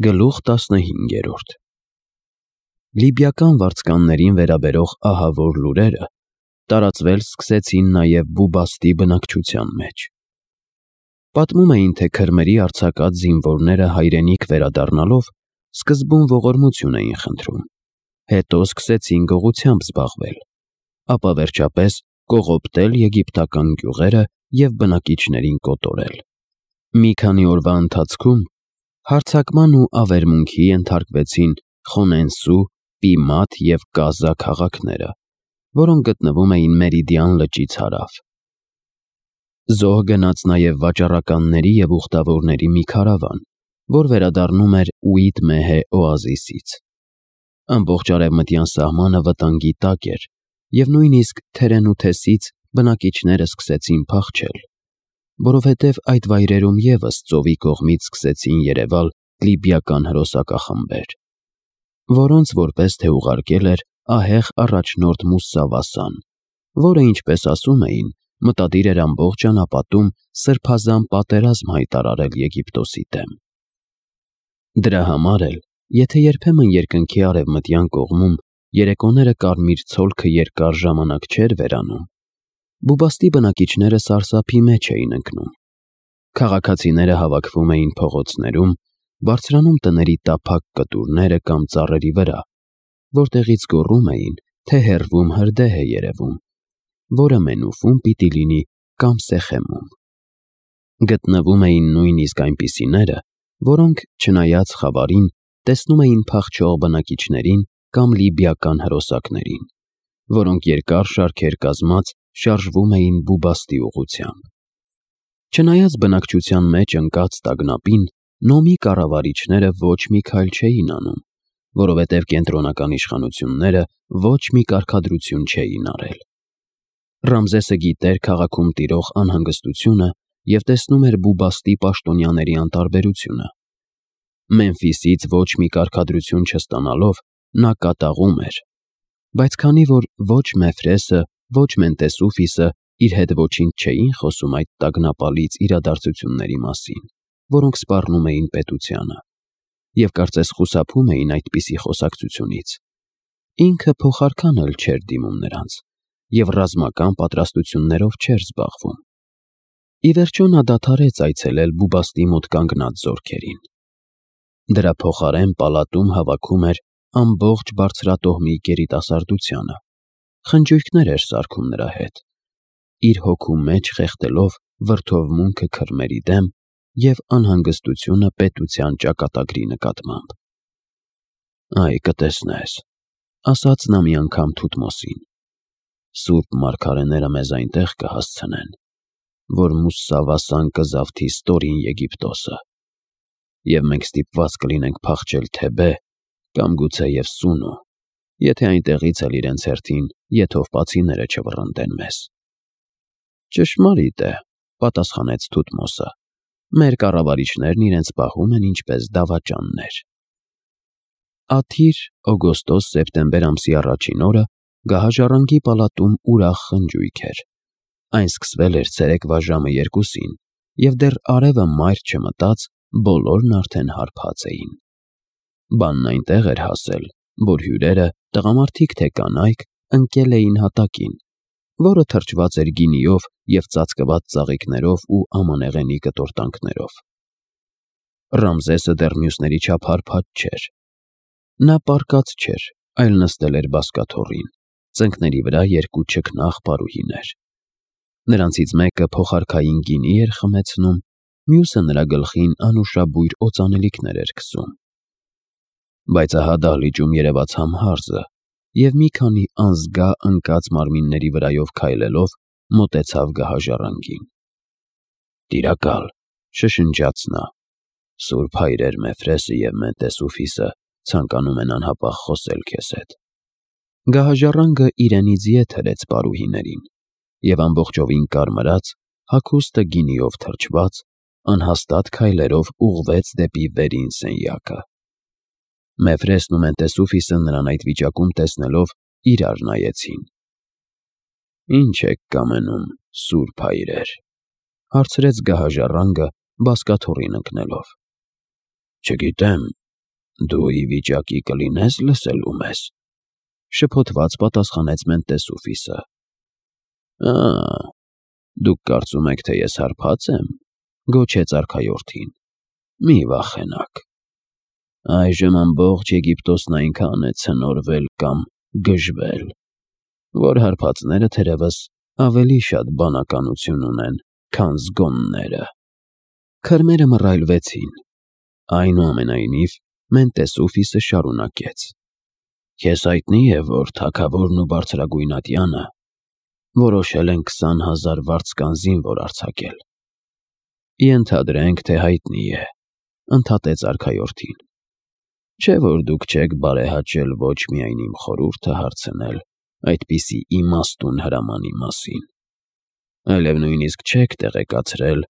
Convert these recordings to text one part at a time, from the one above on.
Գլուխ 15 Լիբիական վարձկաններին վերաբերող ահավոր լուրերը տարածվել սկսեցին նաև Բուբաստի բնակչության մեջ։ Պատմում էին, թե քրմերի արձակած զինվորները հայրենիք վերադառնալով սկզբում ողորմություն էին խնդրում, հետո սկսեցին գողությամբ զբաղվել, ապա վերջապես կողոպտել եգիպտական գյուղերը և բնակիչներին կոտորել։ Մի քանի օրվա ընթացքում հարձակման ու ավերմունքի ենթարկվեցին Խոնենսու, Պիմատ և Կազա քաղաքները, որոնք գտնվում էին Մերիդիան լճից հարավ։ Զոհ գնաց նաև վաճառականների և ուխտավորների մի քարավան, որ վերադառնում էր Ուիտ Մեհե օազիսից։ Ամբողջ արևմտյան սահմանը վտանգի տակ էր, և նույնիսկ Թերենութեսից բնակիչները սկսեցին փախչել, որովհետև այդ վայրերում ևս ծովի կողմից սկսեցին երևալ լիբիական հրոսակախմբեր, որոնց որպես թե ուղարկել էր ահեղ առաջնորդ Մուսսավասան, որը, ինչպես ասում էին, մտադիր էր ամբողջ անապատում սրբազան պատերազմ հայտարարել Եգիպտոսի դեմ։ Դրա համար էլ, եթե երբեմն երկնքի արևմտյան կողմում երեկոները կարմիր ցոլքը երկար ժամանակ չէր վերանում, Բուբաստի բնակիչները սարսափի մեջ էին ընկնում։ Քաղաքացիները հավաքվում էին փողոցներում, բարձրանում տների տափակ կտուրները կամ ծառերի վրա, որտեղից գոռում էին, թե հեռվում հրդեհ է երևում, որը Մենուֆում պիտի լինի կամ Սեխեմում։ Գտնվում էին նույնիսկ այնպիսիները, որոնք, չնայած խավարին, տեսնում էին փախչող բնակիչներին կամ լիբիական հրոսակներին, որոնք երկար շարքեր կազմած շարժվում էին Բուբաստի ուղղությամբ։ Չնայած բնակչության մեջ ընկած տագնապին, Նոմի կառավարիչները ոչ մի քայլ չէին անում, որովհետև կենտրոնական իշխանությունները ոչ մի կարգադրություն չէին արել։ Ռամզեսը գիտեր քաղաքում տիրող անհանգստությունը և տեսնում էր Բուբաստի պաշտոնյաների անտարբերությունը։ Մեմֆիսից ոչ մի կարգադրություն չստանալով նա կատաղում էր, բայց քանի որ ոչ Մեֆրեսը, ոչ Մենտեսուֆիսը իր հետ ոչինչ չէին խոսում այդ տագնապալից իրադարձությունների մասին, որոնք սպառնում էին պետությանը, և կարծես խուսափում էին այդպիսի խոսակցությունից, ինքը փոխարքան էլ չէր դիմում նրանց և ռազմական պատրաստություններով չէր զբաղվում։ Ի վերջո նա դադարեց այցելել Բուբաստի մոտ կանգնած զորքերին։ Դրա փոխարեն պալատում հավաքում էր ամբողջ բարձրատոհմի գերիտասարդությանը, խնջույքներ էր սարքում նրա հետ, իր հոգու մեջ խեղդելով վրդովմունքը քրմերի դեմ և անհանգստությունը պետության ճակատագրի նկատմամբ։ «Այ, կտեսնես», ֊ ասաց նա մի անգամ Թութմոսին, «սուրբ մարգարեները մեզ այնտեղ կհասցնեն, որ Մուսսավասան կզավթի ստորին Եգիպտոսը, և մենք ստիպված կլինենք փախչել Թեբե կամ գուցեև Սունու, եթե այնտեղից էլ իրենց հերթին եթովպացիները չվռնդեն մեզ»։ «Ճշմարիտ է», ֊ պատասխանեց Թութմոսը, «մեր կառավարիչներն իրենց պահում են ինչպես դավաճաններ»։ Ադիր, օգոստոս, սեպտեմբեր ամսի առաջին օրը գահաժառանգի պալատում ուրախ խնջույք էր։ Այն սկսվել էր ցերեկվա ժամը 2-ին, և դեռ արևը մայր չմտած, բոլորն արդեն հարբած էին։ Բանն այնտեղ էր հասել, որ հյուրերը, տղամարդիկ թե կանայք, ընկել էին հատակին, որը թրջված էր գինիով և ծածկված ծաղիկներով ու ամանեղենի կտորտանքներով։ Ռամզեսը դեռ մյուսների չափ հարբած չէր։ Նա պառկած չէր, այլ նստել էր բազկաթոռին, ծնկների վրա 2 չքնաղ պարուհիներ։ Նրանցից մեկը փոխարքային գինի էր խմեցնում, մյուսը նրա գլխին անուշաբույր օծանելիքներ էր քսում։ Բայց ահա դահլիճում երևաց Համհարզը և մի քանի անզգա ընկած մարմինների վրայով քայլելով մոտեցավ գահաժառանգին։ «Տիրակալ», ֊ շշնջաց նա, «սուրբ հայրեր Մեֆրեսը և Մենտեսուֆիսը ցանկանում են անհապաղ խոսել քեզ հետ»։ Գահաժառանգը իրենից ետ հրեց պարուհիներին և ամբողջովին կարմրած, հագուստը գինիով թրջված, անհաստատ քայլերով ուղղվեց դեպի վերին սենյակը։ Մեֆրեսն ու Մենտեսուֆիսը նրան այդ վիճակում տեսնելով իրար նայեցին։ «Ինչ եք կամենում, սուրբ հայրեր», ֊ հարցրեց գահաժառանգը բազկաթոռին ընկնելով։ «Չգիտեմ, Դու ի վիճակի կլինես լսելու մեզ, շփոթված պատասխանեց Մենտեսուֆիսը։ Դուք կարծում եք, թե ես հարբած եմ, գոչեց արքայորդին։ Մի վախենաք։ Այժմ ամբողջ Եգիպտոսն այնքան է ցնորվել կամ գժվել, որ հարբածները թերևս ավելի շատ բանականություն ունեն, քան զգոնները։ Քրմերը մռայլվեցին։ Այնուամենայնիվ Մենտեսուֆիսը շարունակեց. Քեզ հայտնի է, որ թագավորն ու բարձրագույնատյանը որոշել են 20,000 վարձկան զինվոր արձակել։ Ենթադրենք, թե հայտնի է, ընդհատեց արքայորդին։ Չէ՞ որ դուք չեք բարեհաճել ոչ միայն իմ խորհուրդը հարցնել այդպիսի իմաստուն հրամանի մասին, այլև նույնիսկ չեք տեղեկացրել,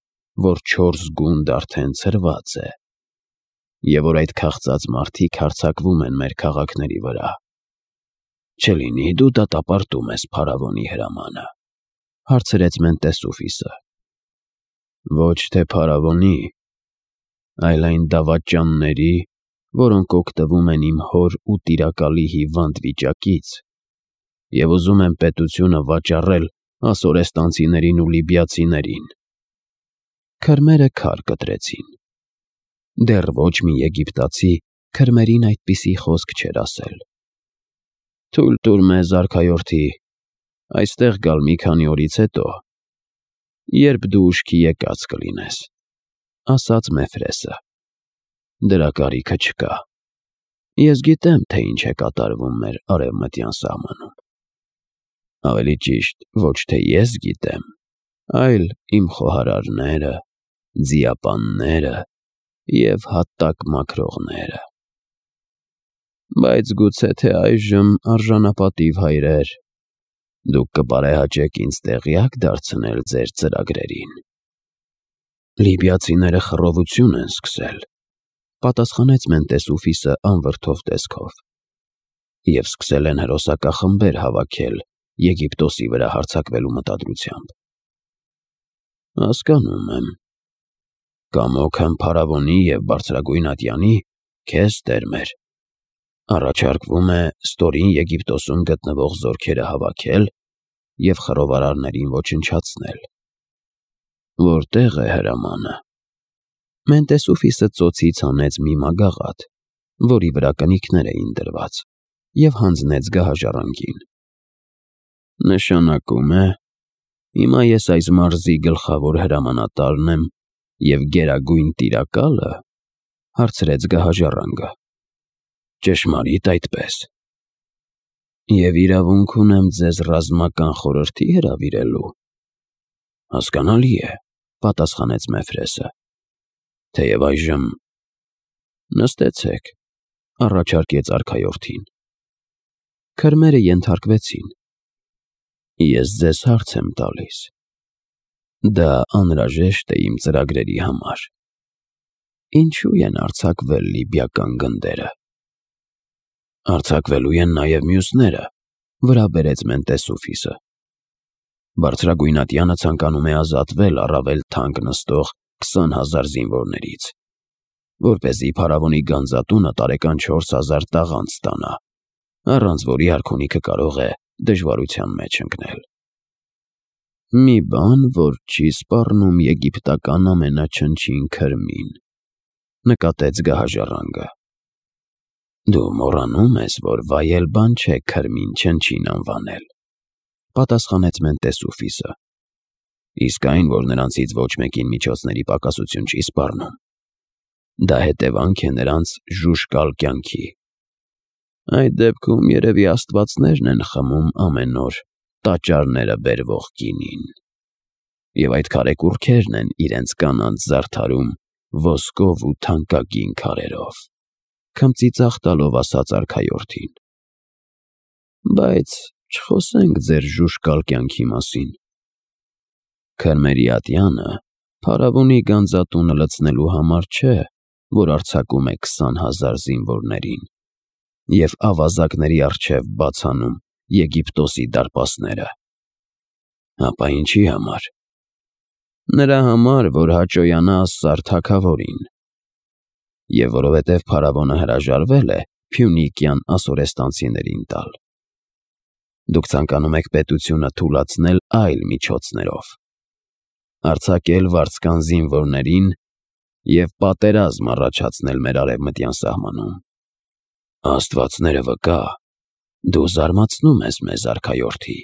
որ 4 գունդ արդեն ցրված է, և որ այդ քաղցած մարդիկ հարձակվում են մեր քաղաքների վրա։ Չլինի դու դատապարտում ես փարավոնի հրամանը, հարցրեց Մենտեսուֆիսը։ Ոչ թե փարավոնի, այլ այն դավաճանների, որոնք օգտվում են իմ հոր ու տիրակալի հիվանդ վիճակից և ուզում են պետությունը վաճառել ասորեստանցիներին ու լիբիացիներին։ Քրմերը քար կտրեցին։ Դեռ ոչ մի եգիպտացի քրմերին այդպիսի խոսք չէր ասել։ Թույլ տուր մեզ, արքայորդի, այստեղ գալ մի քանի օրից հետո, երբ դու ուշքի եկած կլինես, ասաց Մեֆրեսը։ Դրա կարիքը չկա։ Ես գիտեմ, թե ինչ է կատարվում մեր արևմտյան սահմանում։ Ավելի ճիշտ, ոչ թե ես գիտեմ, այլ իմ խոհարարները, ձիապանները և հատակ մաքրողները։ Բայց գուցե թե այժմ արժանապատիվ հայրեր, դուք կբարեհաճեք ինձ տեղյակ դարձնել ձեր ծրագրերին։ Լիբիացիները խռովություն են սկսել, պատասխանեց Մենտեսուֆիսը անվրդով տեսքով, և սկսել են հրոսակախմբեր հավաքել Եգիպտոսի վրա հարձակվելու մտադրությամբ։ Հասկանում եմ։ Կամոք եմ փարավոնի և բարձրագույնատյանի, քեզ տերմեր, առաջարկվում է ստորին Եգիպտոսում գտնվող զորքերը հավաքել և խռովարարներին ոչնչացնել։ Որտե՞ղ է հրամանը։ Մենտեսուֆիսը ծոցից հանեց մի մագաղաթ, որի վրա կնիկներ էին դրված, և հանձնեց գահաժառանգին։ Նշանակում է, հիմա ես այս մարզի գլխավոր հրամանատարն եմ և գերագույն տիրակա՞լը, հարցրեց գահաժառանգը։ Ճշմարիտ այդպես։ Եվ իրավունք ունեմ ձեզ ռազմական խորհրդի հրավիրելու։ Հասկանալի է, պատասխանեց Մեֆրեսը։ Թեև այժմ նստեցեք, առաջարկեց արքայորդին։ Քրմերը ենթարկվեցին։ Ես ձեզ հարց եմ տալիս։ Դա անհրաժեշտ է իմ ծրագրերի համար։ Ինչու են արձակվել լիբիական գնդերը։ Արձակվելու են նաև մյուսները, վրա բերեց Մենտեսուֆիսը։ Բարձրագույնատյանը ցանկանում է ազատվել առավել թանկ նստող 20,000 զինվորներից, որպեսզի փարավոնի գանձատունը տարեկան 4,000 տաղանդ ստանա, առանց որի արքունիքը կարող է դժվարության մեջ ընկնել։ Մի բան, որ չի սպառնում եգիպտական ամենաչնչին քրմին, նկատեց գահաժառանգը։ Դու մոռանում ես, որ վայել բան չէ քրմին չնչին անվանել, պատասխանեց Մենտեսուֆիսը։ Իսկ այն, որ նրանցից ոչ մեկին միջոցների պակասություն չի սպառնում, դա հետևանք է նրանց ժուժկալ կյանքի։ Այդ դեպքում երևի աստվածներն են խմում ամեն օր տաճարները բերվող գինին, և այդ քարեկուռքերն են իրենց կանանց զարդարում ոսկով ու թանկագին քարերով, քմծիծաղ տալով ասաց արքայորդին։ Բայց չխոսենք ձեր ժուժկալ կյանքի մասին։ Քրմերի ատյանը փարավոնի գանձատունը լցնելու համար չէ, որ արձակում է 20,000 զինվորներին և ավազակների առջև բացանում Եգիպտոսի դարպասները։ Ապա ինչի համար։ Նրա համար, որ հաճոյանա Ասսար թագավորին։ եւ որովհետեւ փարավոնը հրաժարվել է Փյունիկյան ասորեստանցիներին տալ։ Դուք ցանկանում եք պետությունը թուլացնել այլ միջոցներով, արձակել վարձկան զինվորներին եւ պատերազմ առաջացնել մեր արևմտյան սահմանում։ Աստվածները վկա, դու զարմացնում ես մեզ, արքայորդի,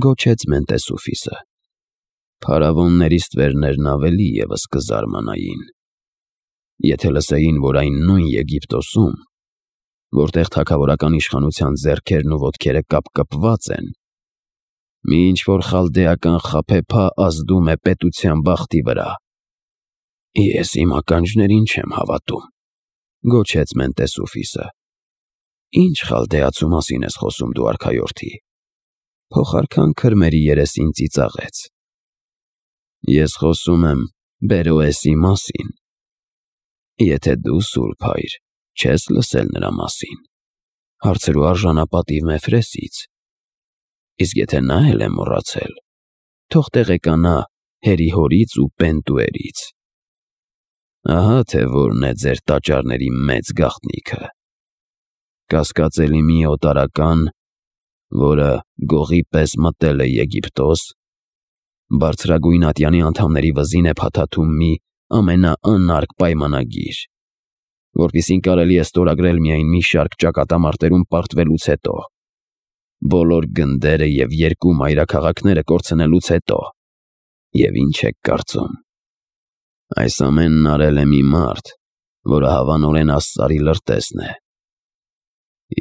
գոչեց Մենտեսուֆիսը։ Փարավոնների ստվերներն ավելի ևս կզարմանային, եթե լսեին, որ այն նույն Եգիպտոսում, որտեղ թագավորական իշխանության ձեռքերն ու ոտքերը կապկպված են, մի ինչ-որ խալդեական խաբեբա ազդում է պետության բախտի վրա։ Ես իմ ականջներին չեմ հավատում, գոչեց Մենտեսուֆիսը։ Ինչ խալդեացու մասին ես խոսում դու, արքայորդի։ Փոխարքան քրմերի երեսին ծիծաղեց։ Ես խոսում եմ Բերոեսի մասին։ Եթե դու, Սուրբ Հայր, չես լսել նրա մասին, հարցրու արժանապատիվ Մեֆրեսից, իսկ եթե նա էլ է մոռացել, թող տեղեկանա Հերիհորից ու Պենտուերից։ Ահա թե որն է ձեր տաճարների մեծ գաղտնիքը։ Կասկածելի մի օտարական, որը գողի պես մտել է Եգիպտոս, բարձրագույն ատյանի անդամների վզին է փաթաթում մի ամենաանարգ պայմանագիր, որպիսին կարելի է ստորագրել միայն մի շարք ճակատամարտերում պարտվելուց հետո, բոլոր գնդերը եւ 2 մայրաքաղաքները կորցնելուց հետո։ Եվ ինչ եք կարծում։ Այս ամենն արել է մի մարդ, որը հավանորեն աստծարի լրտեսն է։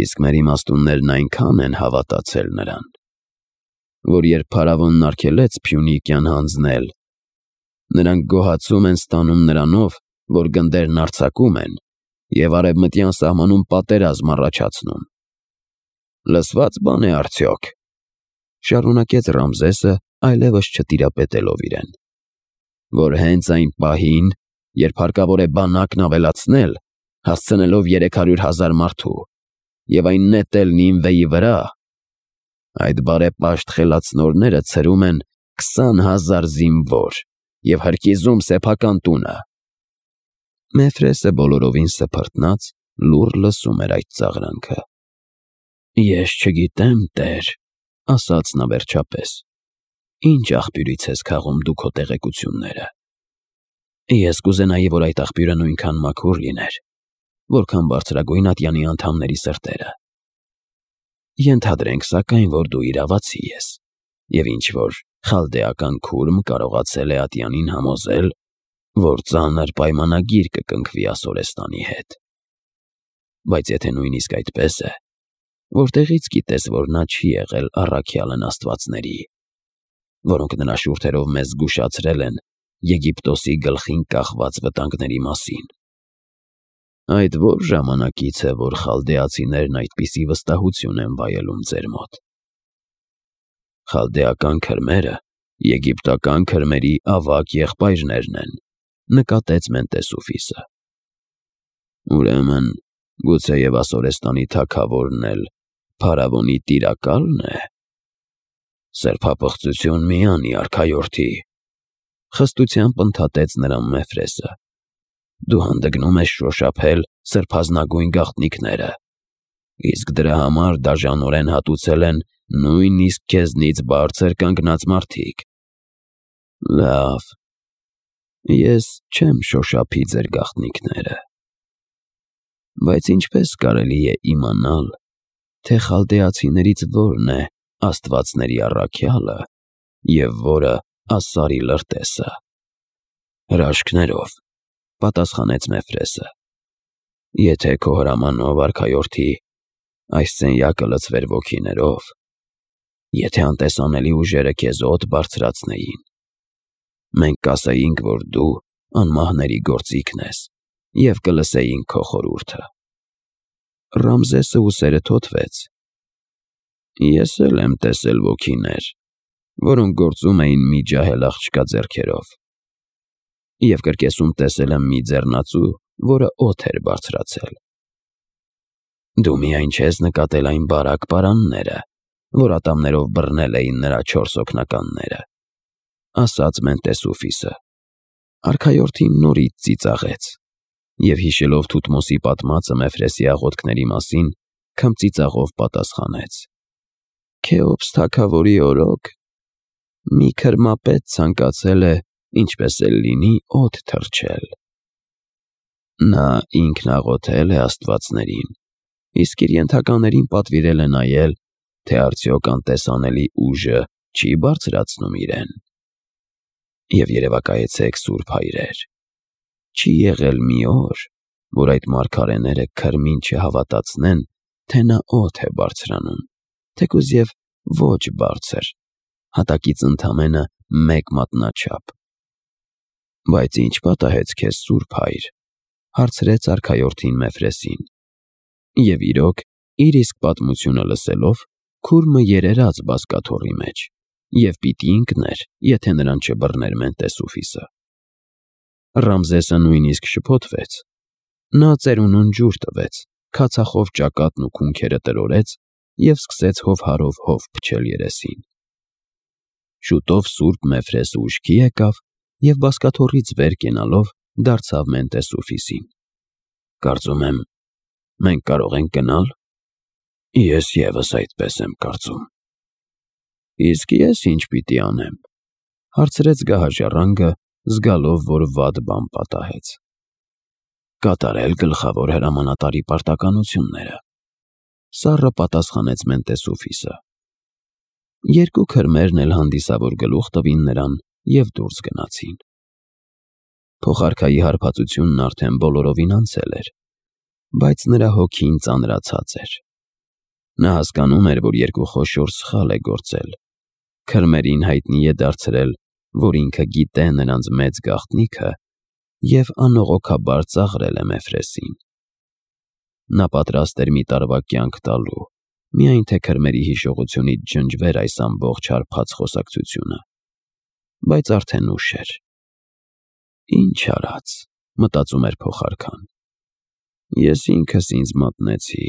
Իսկ մեր իմաստուններն այնքան են հավատացել նրան, որ երբ փարավոնն արգելեց Փյունիկյան հանձնել, նրանք գոհացում են ստանում նրանով, որ գնդերն արձակում են եւ արևմտյան սահմանում պատերազմ առաջացնում։ Լսված բան է արդյոք, շարունակեց Ռամզեսը, այլևս չտիրապետելով իրեն, որ հենց այն պահին, երբ հարկավոր է բանակն ավելացնել, հասցնելով 300,000 մարդու, եւ այն նետել Նինվեի վրա, այդ բարեպաշտ խելացնորները ցրում են 20,000 զինվոր եւ հրկիզում սեփական տունը։ Մեֆրեսը բոլորովին սփռտնած լուռ լսում էր այդ ծաղրանքը։ Ես չգիտեմ, Տեր, ասաց նա վերջապես, ինչ աղբյուրից ես քաղում դու քո տեղեկությունները։ Ես կուզենայի, որ այդ աղբյուրը նույնքան մաքուր լիներ, որքան բարձրագույն ատյանի անդամների սրտերը։ Ենթադրենք սակայն, որ դու իրավացի ես, եւ ինչ-որ խալդեական քուրմ կարողացել է ատյանին համոզել, որ ծանր պայմանագիր կկնքվի Ասորեստանի հետ։ Բայց եթե նույնիսկ այդպես է, որտեղից գիտես, որ նա չի եղել առաքյալն աստվածների, որոնք նրա շուրթերով մեզ զգուշացրել են Եգիպտոսի գլխին կախված վտանգների մասին։ Այդ որ ժամանակից է, որ խալդեացիներն այդպիսի վստահություն են վայելում ձեր մոտ։ Խալդեական քրմերը եգիպտական քրմերի ավագ եղբայրներն են, նկատեց Մենտեսուֆիսը։ Ուրեմն, գուցեև Ասորեստանի թագավորն էլ փարավոնի տիրակալն է։ Սրբապղծություն մի անի, արքայորդի, խստությամբ ընդհատեց նրան Մեֆրեսը։ Դու հանդգնում ես շոշափել սրբազնագույն գաղտնիքները, իսկ դրա համար դաժանորեն հատուցել են նույնիսկ քեզնից բարձր կանգնած մարդիկ։ Լավ, ես չեմ շոշափի ձեր գաղտնիքները, բայց ինչպես կարելի է իմանալ, թե խալդեացիներից որն է աստվածների առաքյալը եւ որը ասարի լրտեսը։ Հրաշքներով, պատասխանեց Մեֆրեսը։ Եթե քո հրամանով, արքայորդի, այս սենյակը լցվեր ոգիներով, եթե անտեսանելի ուժերը քեզ օդ բարձրացնեին, մենք կասեինք, որ դու անմահների գործիքն ես եւ կլսեինք քո խորհուրդը։ Ռամզեսը ուսերը թոթվեց։ Ես էլ եմ տեսել ոգիներ, որոնք գործում էին մի ջահել աղջկա ձեռքերով, եւ կրկեսում տեսել եմ մի ձեռնածու, որը օդ էր բարձրացել։ Դու միայն չես նկատել այն բարակ պարանները, որ ատամներով բռնել էին նրա 4 օգնականները, ասաց Մենտեսուֆիսը։ Արքայորդին նորից ծիծաղեց Եվ հիշելով Թութմոսի պատմածը Մեֆրեսի աղոթքների մասին, քմծիծաղով պատասխանեց. «Քեոպս թագավորի օրոք, մի քրմապետ ցանկացել է, ինչպես էլ լինի, օդ թռչել։ Նա ինքն աղոթել է աստվածներին, իսկ իր ենթականերին պատվիրել է նայել, թե արդյոք անտեսանելի ուժը չի բարձրացնում իրեն։ Եվ երևակայեցեք, սուրբ հայրեր, չի եղել մի օր, որ այդ մարգարեները քրմին չհավատացնեն, թե նա օդ է բարձրանում, թեկուզ և ոչ բարձր, հատակից ընդամենը 1 մատնաչափ։ Բայց ինչ պատահեց քեզ, սուրբ հայր, հարցրեց արքայորդին Մեֆրեսին։ Եվ իրոք, իր իսկ պատմությունը լսելով, քուրմը երերաց բազկաթոռի մեջ, և պիտի ընկներ, եթե նրան չբռներ Մենտեսուֆիսը։ Ռամզեսը նույնիսկ շփոթվեց։ Նա ծերունուն ջուր տվեց, քացախով ճակատն ու քունքերը տրորեց և սկսեց հովհարով հով փչել երեսին։ Շուտով սուրբ Մեֆրեսը ուշքի եկավ և բազկաթոռից վեր կենալով դարձավ Մենտեսուֆիսին։ Կարծում եմ, մենք կարող ենք գնալ։ Ես ևս այդպես եմ կարծում։ Իսկ ես ինչ պիտի անեմ, հարցրեց գահաժառանգը, զգալով, որ վատ բան պատահեց։ Կատարել գլխավոր հրամանատարի պարտականությունները, սառը պատասխանեց Մենտեսուֆիսը։ 2 քրմերն էլ հանդիսավոր գլուխ տվին նրան և դուրս գնացին։ Փոխարքայի հարբածությունն արդեն բոլորովին անցել էր, բայց նրա հոգին ծանրացած էր։ Նա հասկանում էր, որ 2 խոշոր սխալ է գործել։ Քրմերին հայտնի է դարձրել, որ ինքը գիտե նրանց մեծ գաղտնիքը և անողոքաբար ծաղրել է Մեֆրեսին։ Նա պատրաստ էր մի տարվա կյանք տալու, միայն թե քրմերի հիշողությունից ջնջվեր այս ամբողջ հարբած խոսակցությունը։ Բայց արդեն ուշ էր։ Ինչ արած, մտածում էր փոխարքան։ Ես ինքս ինձ մատնեցի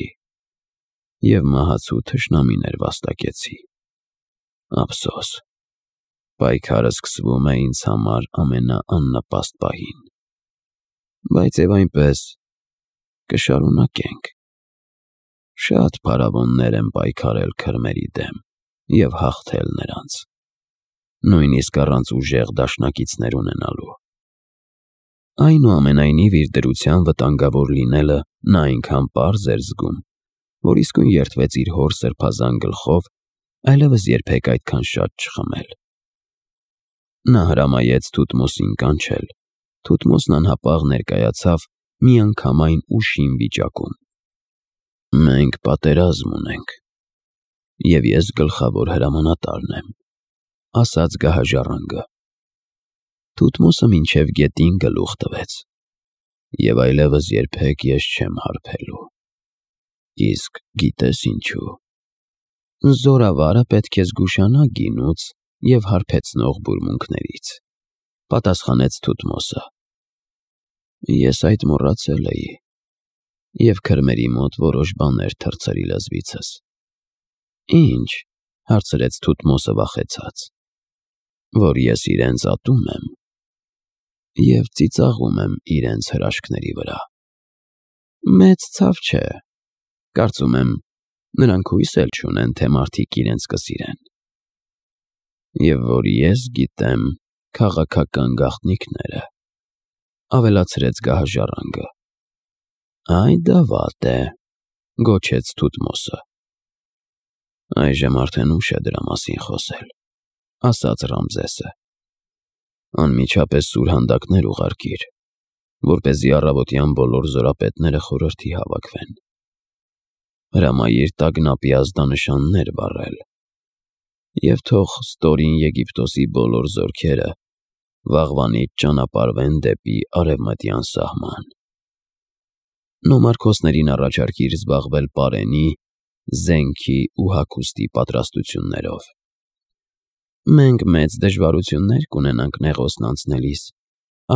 և մահացու թշնամիներ վաստակեցի։ Ափսոս, պայքարը սկսվում է ինձ համար ամենաաննպաստ պահին։ Բայց և այնպես կշարունակենք։ Շատ փարավոններ են պայքարել քրմերի դեմ և հաղթել նրանց, նույնիսկ առանց ուժեղ դաշնակիցներ ունենալու։ Այնուամենայնիվ իր դրության վտանգավոր լինելը նա այնքան պարզ էր զգում, որ իսկույն երդվեց իր հոր սրբազան գլխով այլևս երբեք այդքան շատ չխմել։ Նա հրամայեց Թութմոսին կանչել։ Թութմոսն անհապաղ ներկայացավ միանգամայն ուշիմ վիճակում։ Մենք պատերազմ ունենք, և ես գլխավոր հրամանատարն եմ, ասաց գահաժառանգը։ Թութմոսը մինչև գետին գլուխ տվեց։ Եվ այլևս երբեք ես չեմ հարբելու։ Իսկ գիտես ինչու։ Զորավարը պետք է զգուշանա գինուց և հարբեցնող բուրմունքներից, պատասխանեց Թութմոսը։ Ես այդ մոռացել էի, և քրմերի մոտ որոշ բաներ թռցրի լեզվիցս։ Ինչ, հարցրեց Թութմոսը վախեցած։ Որ ես իրենց ատում եմ և ծիծաղում եմ իրենց հրաշքների վրա։ Մեծ ցավ չէ, կարծում եմ, նրանք հույս էլ չունեն, թե մարդիկ իրենց կսիրեն։ Եվ որ ես գիտեմ քաղաքական գաղտնիքները, ավելացրեց գահաժառանգը։ Այ դա վատ է, գոչեց Թութմոսը։ Այժմ արդեն ուշ է դրա մասին խոսել, ասաց Ռամզեսը։ Անմիջապես սուրհանդակներ ուղարկիր, որպեսզի առավոտյան բոլոր զորապետները խորհրդի հավաքվեն։ Հրամայիր տագնապի ազդանշաններ վառել, և թող ստորին Եգիպտոսի բոլոր զորքերը վաղվանից ճանապարհվեն դեպի արևմտյան սահման։ Նոմարքոսներին առաջարկիր զբաղվել պարենի, զենքի ու հագուստի պատրաստություններով։ Մենք մեծ դժվարություններ կունենանք Նեղոսն անցնելիս,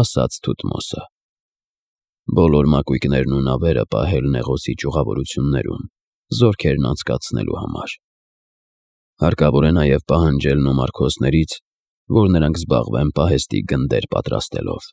ասաց Թութմոսը։ Բոլոր մակույկներն ու նավերը պահել Նեղոսի ճյուղավորություններում, զորքերն անցկացնելու համար։ Հարկավոր է նաև պահանջել նոմարքոսներից, որ նրանք զբաղվեն պահեստի գնդեր պատրաստելով։